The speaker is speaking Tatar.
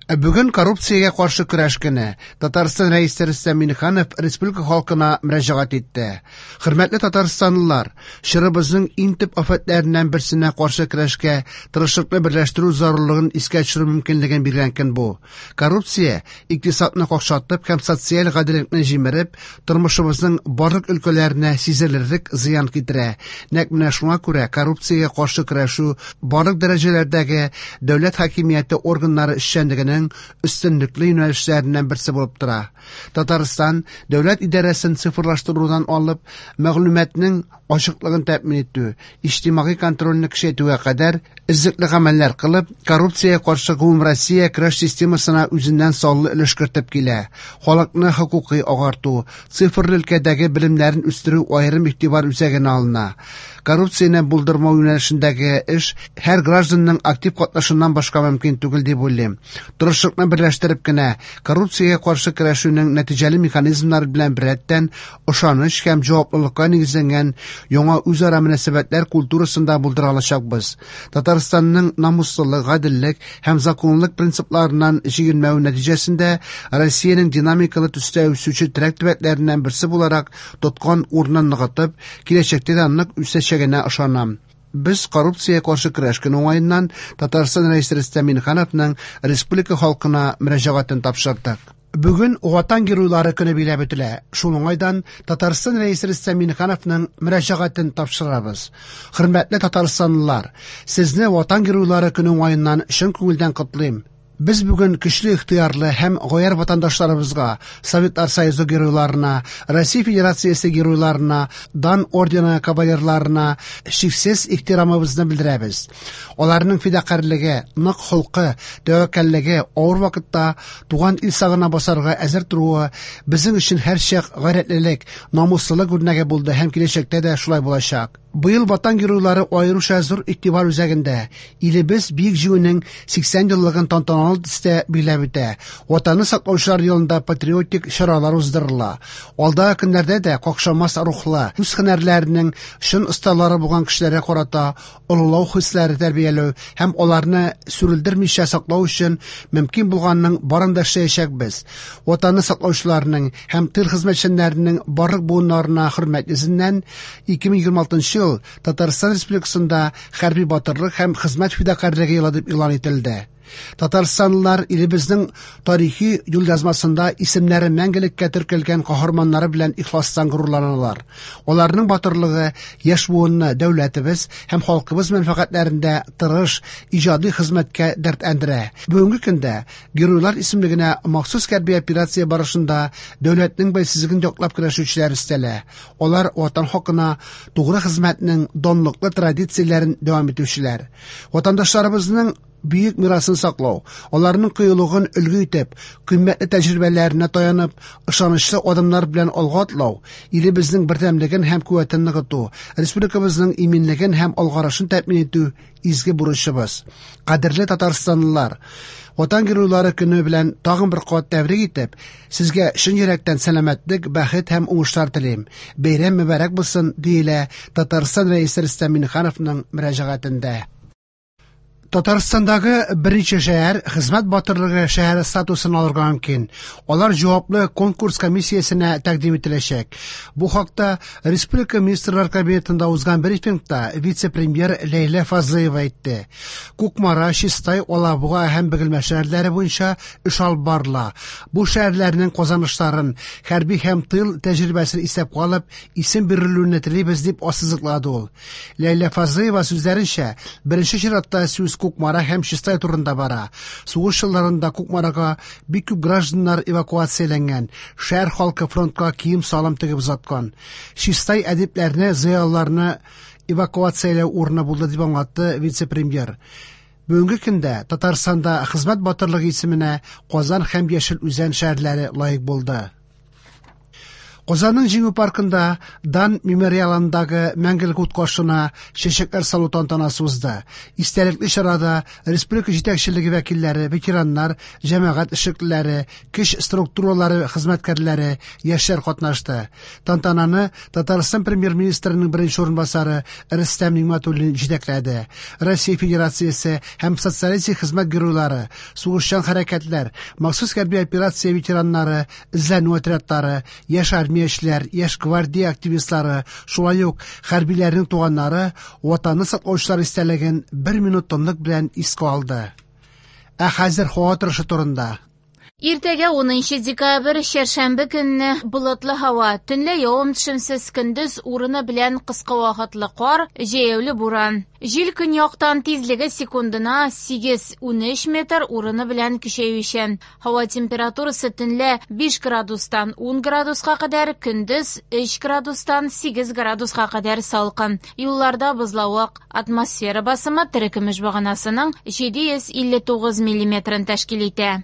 Бүген коррупциягә каршы көрәш көне. Татарстан Рәисе Рөстәм Миңнеханов республика халкына мөрәҗәгать итте. Хөрмәтле татарстанлылар, чорыбызның иң төп афәтләреннән берсенә каршы көрәшкә тырышлыкны берләштерү зарурлыгын искә төшерү мөмкинлеген биргән көн бу. Коррупция, икътисадны какшатып һәм социаль гаделлекне җимереп, тормышыбызның барлык өлкәләренә сизелерлек зыян китерә. Нәкъ менә шуңа күрә коррупциягә каршы көрәшү барлык дәрәҗәләрдәге дәүләт хакимияте органнары эшчәнлегенең өстенлекле юнәлешләреннән берсе булып тора. Татарстан дәүләт идарәсен цифрлаштырудан алып, мәгълүматның ачыклыгын тәэмин итү, иҗтимагый контрольне көчәйтүгә кадәр эзлекле гамәлләр кылып, коррупциягә каршы гомумроссия көрәш системасына үзеннән саллы өлеш кертеп килә. Халыкны хокукый агарту, цифрлы өлкәдәге белемнәрен үстерү аерым игътибар үзәгенә алына. Коррупцияне булдырмау юнәлешендәге эш һәр гражданның актив катнашыннан башка мөмкин түгел дип уйлыйм. Тырышлыкны берләштереп кенә коррупциягә каршы көрәшүнең нәтиҗәле механизмнары белән беррәттән ышаныч һәм җаваплылыкка нигезләнгән яңа үзара мөнәсәбәтләр культурасын да булдыра алачакбыз. Татарстанның намуслылык, гаделлек һәм законлылык принципларыннан чигенмәве нәтиҗәсендә Россиянең динамикалы төстә үсүче терәк төбәкләреннән берсе буларак тоткан урынын ныгытып, киләчәктә дә нык үсәчәгенә ышанам. Без коррупциягә каршы көрәш көне уңаеннан Татарстан Рәисе Рөстәм Миңнехановның республика халкына мөрәҗәгатен тапшырдык. Бүген Ватан геройлары көне биләп үтелә. Шул уңайдан Татарстан Рәисе Рөстәм Миңнехановның мөрәҗәгатен тапшырабыз. Хөрмәтле татарстанлылар, сезне Ватан геройлары көне уңаеннан чын күңелдән котлыйм. Без бүген көчле ихтыярлы һәм гаярь ватандашларыбызга, Советлар Союзы геройларына, Россия Федерациясе геройларына, Дан ордены кавалерларына чиксез ихтирамыбызны белдерәбез. Аларның фидакарьлеге, нык холкы, тәвәккәллеге, авыр вакытта туган ил сагына басарга әзер торуы безнең өчен һәрчак гайрәтлелек, намуслылык үрнәге булды һәм киләчәктә дә шулай булачак. Быел Ватан геройлары аеруча зур игътибар үзәгендә. Илебез Бөек Җиңүнең 80 еллыгын тантаналы төстә билгеләп үтә. Ватанны саклаучылар елында патриотик чаралар уздырыла. Алдагы көннәрдә дә какшамас рухлы, үз һөнәрләренең чын осталары булган кешеләргә карата олылау хисләре тәрбияләү һәм аларны сүрелдермичә саклау өчен мөмкин булганның барын да эшләячәкбез. Ватанны саклаучыларның һәм тыл хезмәтчәннәренең барлык буыннарына хөрмәт йөзеннән 2026 ел Татарстан Республикасында хәрби батырлык һәм хезмәт фидакарьлеге елы дип игълан ителде. Татарстанлылар илебезнең тарихи юлъязмасында исемнәре мәңгелеккә теркәлгән каһарманнары белән ихластан горурланалар. Аларның батырлыгы яшь буынны дәүләтебез һәм халкыбыз мәнфәгатьләрендә тырыш, иҗади хезмәткә дәртләндерә. Бүгенге көндә геройлар исемлегенә махсус хәрби операция барышында дәүләтнең бәйсезлеген яклап көрәшүчеләр өстәлә. Алар ватан хакына тугры хезмәтнең данлыклы традицияләрен дәвам итүчеләр. Ватандашларыбызның бөек мирасын саклау, аларның кыюлыгын өлге итеп, кыйммәтле тәҗрибәләренә таянып, ышанычлы адымнар белән алга атлау, илебезнең бердәмлеген һәм куәтен ныгыту, республикабызның иминлеген һәм алгарышын тәэмин итү изге бурычыбыз. Кадерле татарстанлылар, Ватан геройлары көне белән тагын бер кат тәбрик итеп, сезгә чын йөрәктән сәламәтлек, бәхет һәм уңышлар телим. Бәйрәм мөбарәк булсын, диелә Татарстан Рәисе Рөстәм Миңнехановның мөрәҗәгатендә. Татарстандагы берничә шәһәр хезмәт батырлыгы шәһәре статусын алырга мөмкин. Алар җаваплы конкурс комиссиясенә тәкъдим ителәчәк. Бу хакта Республика Министрлар Кабинетында узган брифингта вице-премьер Ләйлә Фазлыева әйтте. Кукмара, Чистай, Алабуга һәм Бөгелмә шәһәрләре буенча эш алып барыла. Бу шәһәрләрнең казанышларын, хәрби һәм тыл тәҗрибәсен исәпкә алып, исем бирелүне телибез, дип ассызыклады ул. Ләйлә Фазлыева сүзләренчә, беренче чиратта сүз Кукмара һәм Чистай турында бара. Сугыш елларында Кукмарага бик күп гражданнар эвакуацияләнгән, шәһәр халкы фронтка кием-салым тегеп озаткан. Чистай әдипләрне, зыялыларны эвакуацияләү урыны булды, дип аңлатты вице-премьер. Бүгенге көндә Татарстанда хезмәт батырлыгы исеменә Казан һәм Яшел Үзән шәһәрләре лаек булды. Казанның Җиңү паркында Дан мемориалындагы Мәңгелек ут каршына чәчәкләр салу тантанасы узды. Истәлекле чарада республика җитәкчелеге вәкилләре, ветераннар, җәмәгать эшлеклеләре, көч структуралары хезмәткәрләре, яшьләр катнашты. Тантананы Татарстан Премьер-министрының беренче урынбасары Рөстәм Нигъмәтуллин җитәкләде. Россия Федерациясе һәм Социалистик Хезмәт Геройлары, сугышчан хәрәкәтләр, махсус хәрби операция ветераннары, эзләнү отрядлары, яшь армиячеләр, яшь гвардия активистлары, шулай ук хәрбиләрнең туганнары Ватанны саклаучылар истәлеген бер минут тынлык белән искә алды. Ә хәзер һава торышы турында. Иртәгә 10 декабрь, чәршәмбе көнне болытлы һава, төнлә явым-төшемсез, көндез урыны белән кыска вакытлы кар, җәяүле буран. Җил көньяктан тизлеге секундына 8-13 метр, урыны белән көчәючән. Һава температурасы төнлә 5 градустан 10 градуска кадәр, көндез 3 градустан 8 градуска кадәр салкын. Юлларда бозлавык. Атмосфера басымы терекөмеш баганасының 759 миллиметрын тәшкил итә.